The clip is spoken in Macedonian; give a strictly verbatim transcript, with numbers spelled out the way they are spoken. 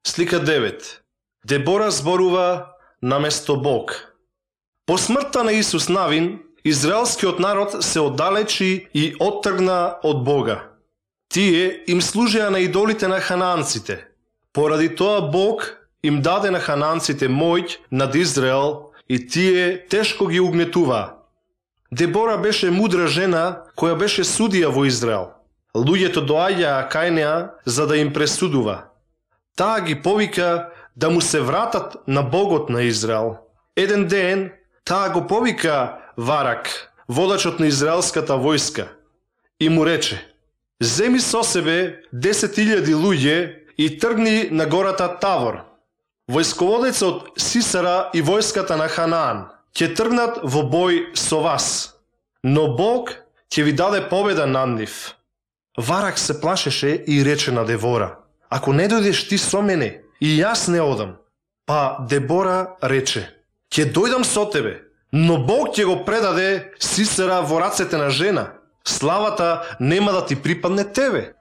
Слика девет. Дебора зборува наместо Бог. По смртта на Исус Навин, израелскиот народ се оддалечи и оттргна од Бога. Тие им служеа на идолите на ханаанците. Поради тоа Бог им даде на ханаанците моќ над Израел и тие тешко ги угнетуваа. Дебора беше мудра жена која беше судија во Израел. Луѓето доаѓаа кај неа за да им пресудува. Таа ги повика да му се вратат на Богот на Израел. Еден ден таа го повика Варак, водачот на израелската војска, и му рече: земи со себе десет илјади луѓе и тргни на гората Тавор. Војсководецот Сисара и војската на Ханаан ќе тргнат во бој со вас, но Бог ќе ви даде победа над нив. Варак се плашеше и рече на Дебора: ако не дојдеш ти со мене, и јас не одам. Па Дебора рече: ќе дојдам со тебе, но Бог ќе го предаде Сисера во рацете на жена. Славата нема да ти припадне тебе.